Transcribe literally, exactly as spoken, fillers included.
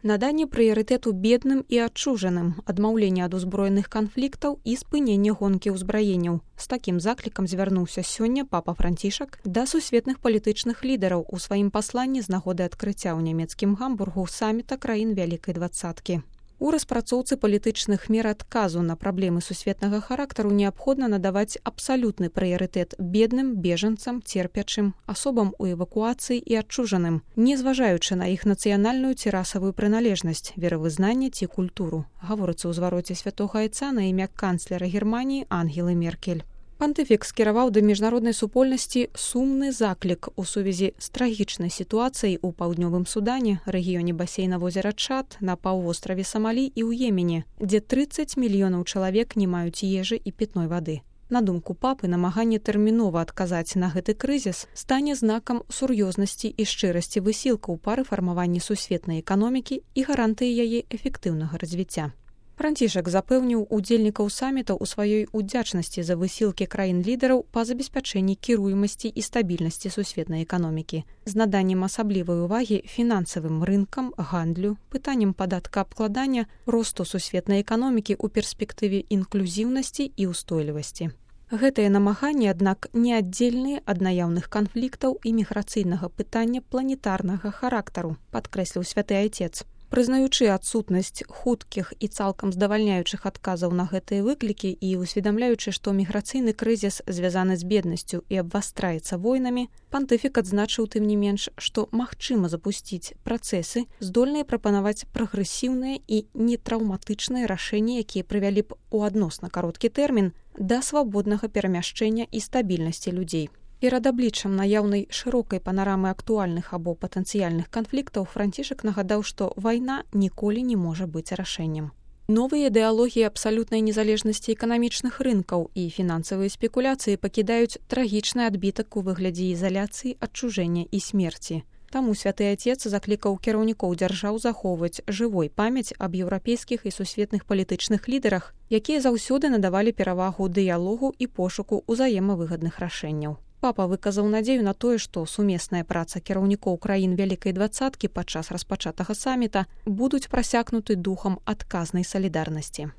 Наданне прыярытэту бедным і адчужаным, адмаўленне ад узброеных канфліктаў і спыненне гонкі ўзбраенняў. З такім заклікам звярнуўся сёння папа Францішак да сусветных палітычных лідараў у сваім пасланні з нагоды адкрыцця ў нямецкім Гамбургу саміта краін Вялікай двадцаткі. У распрацоўцы палітычных мер адказу на праблемы сусветнага характару неабходна надаваць абсалютны прыярытэт бедным, бежанцам, церпячым, асобам у эвакуацыі і адчужаным, не зважаючы на іх нацыянальную ці расавую прыналежнасць, веравызнанне ці культуру, гаворыцца ў звароце святога айца на імя канцлера Германіі Ангелы Меркель. Пантыфік скіраваў да міжнароднай супольнасці сумны заклік у сувязі з трагічнай сітуацыяй у паўднёвым Судане, рэгіёне басейна возера Чад, на паўвостраве Самалі і ў Йемене, дзе трыццаць мільёнаў чалавек не маюць ежы і пітной вады. На думку папы, намаганне тэрмінова адказаць на гэты крызіс стане знакам сур'ёзнасці і шчырасці высілкаў па рэфармаванні сусветнай эканомікі і гарантыі яе эфектыўнага развіцця. Францішак запэўніў удзельнікаў саміта ў сваёй удзячнасці за высілкі краін-лідараў па забеспячэнні кіруемасці і стабільнасці сусветнай эканомікі, з наданнем асаблівай увагі фінансавым рынкам, гандлю, пытанням падаткаабкладання, росту сусветнай эканомікі ў перспектыве інклюзіўнасці і ўстойлівасці. Гэтыя намаганні, аднак, не аддзельныя ад наяўных канфліктаў і міграцыйнага пытання планетарнага характару, падкрэсліў святы айцец. Прызнаючы адсутнасць хуткіх і цалкам здавальняючых адказаў на гэтыя выклікі і усведамляючы, што міграцыйны крызіс звязаны з беднасцю і абвастраецца войнамі, пантыфік адзначыў тым не менш, што магчыма запусціць працэсы, здольныя прапанаваць прагрэсіўныя і нетраўматычныя рашэнні, якія прывялі б у адносна кароткі тэрмін да свабоднага перамяшчэння і стабільнасці людзей. Перад абліччам наяўнай шырокай панарамы актуальных або патэнцыяльных канфліктаў Францішак нагадаў, што вайна ніколі не можа быць рашэннем. Новыя ідэалогіі абсалютнай незалежнасці эканамічных рынкаў і фінансавыя спекуляцыі пакідаюць трагічны адбітак у выглядзе ізаляцыі, адчужэння і смерці. Таму святы айцец заклікаў кіраўнікоў дзяржаў захоўваць жывой памяць аб еўрапейскіх і сусветных палітычных лідарах, якія заўсёды надавалі перавагу дыялогу і пошуку ўзаемавыгадных рашэнняў. Папа выказаў надзею на тое, што сумесная праца кіраўнікоў краін Вялікай двадцаткі падчас распачатага саміта будуць прасякнуты духам адказнай салідарнасці.